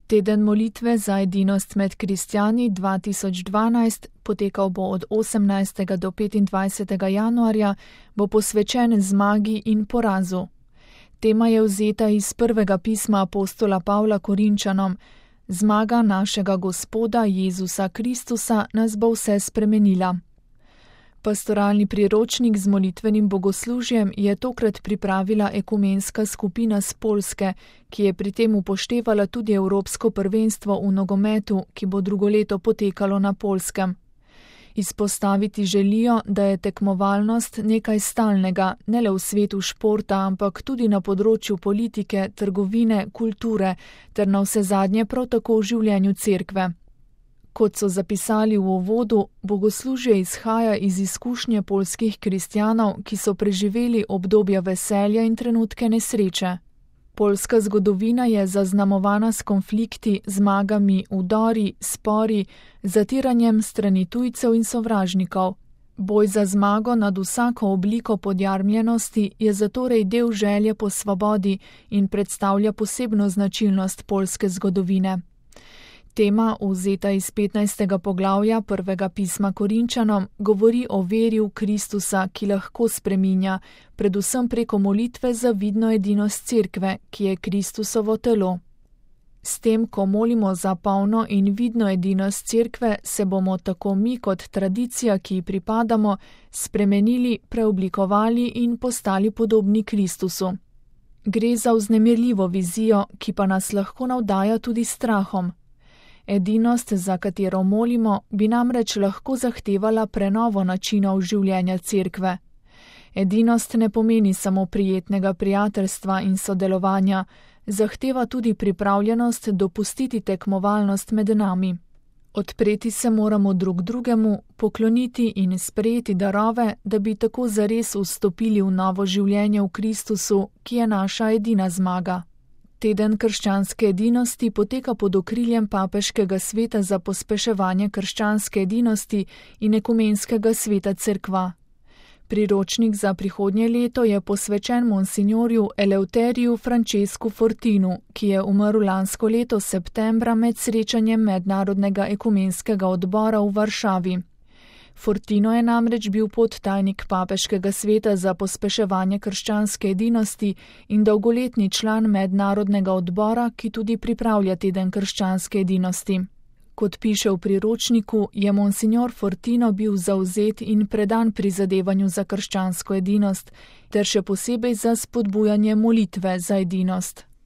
Teden molitve za edinost med kristjani 2012, potekal bo od 18. do 25. januarja, bo posvečen zmagi in porazu. Tema je vzeta iz prvega pisma apostola Pavla Korinčanom: Zmaga našega Gospoda Jezusa Kristusa nas bo vse spremenila. Pastoralni priročnik z molitvenim bogoslužjem je tokrat pripravila ekumenska skupina s Poljske, ki je pri tem upoštevala tudi evropsko prvenstvo v nogometu, ki bo drugo leto potekalo na Poljskem. Izpostaviti želijo, da je tekmovalnost nekaj stalnega, ne le v svetu športa, ampak tudi na področju politike, trgovine, kulture ter navsezadnje prav tako v življenju cerkve. Kot so zapisali v uvodu, bogoslužje izhaja iz izkušnje poljskih kristjanov, ki so preživeli obdobja veselja in trenutke nesreče. Poljska zgodovina je zaznamovana s konflikti, zmagami, vdori, spori, zatiranjem strani tujcev in sovražnikov. Boj za zmago nad vsako obliko podjarmljenosti je zatorej del želje po svobodi in predstavlja posebno značilnost poljske zgodovine. Tema, vzeta iz 15. poglavja prvega pisma Korinčanom, govori o veri v Kristusa, ki lahko spreminja, predvsem preko molitve za vidno edinost cerkve, ki je Kristusovo telo. S tem, ko molimo za polno in vidno edinost cerkve, se bomo tako mi kot tradicija, ki ji pripadamo, spremenili, preoblikovali in postali podobni Kristusu. Gre za vznemirljivo vizijo, ki pa nas lahko navdaja tudi strahom. Edinost, za katero molimo, bi namreč lahko zahtevala prenovo načinov življenja cerkve. Edinost ne pomeni samo prijetnega prijateljstva in sodelovanja, zahteva tudi pripravljenost dopustiti tekmovalnost med nami. Odpreti se moramo drug drugemu, pokloniti in sprejeti darove, da bi tako zares vstopili v novo življenje v Kristusu, ki je naša edina zmaga. Teden krščanske edinosti poteka pod okriljem Papeškega sveta za pospeševanje krščanske edinosti in ekumenskega sveta cerkva. Priročnik za prihodnje leto je posvečen monsinjorju Eleuteriju Francesku Fortinu, ki je umrl lansko leto septembra med srečanjem Mednarodnega ekumenskega odbora v Varšavi. Fortino je namreč bil podtajnik Papeškega sveta za pospeševanje krščanske edinosti in dolgoletni član Mednarodnega odbora, ki tudi pripravlja teden krščanske edinosti. Kot piše v priročniku, je monsinjor Fortino bil zavzet in predan prizadevanju za krščansko edinost, ter še posebej za spodbujanje molitve za edinost.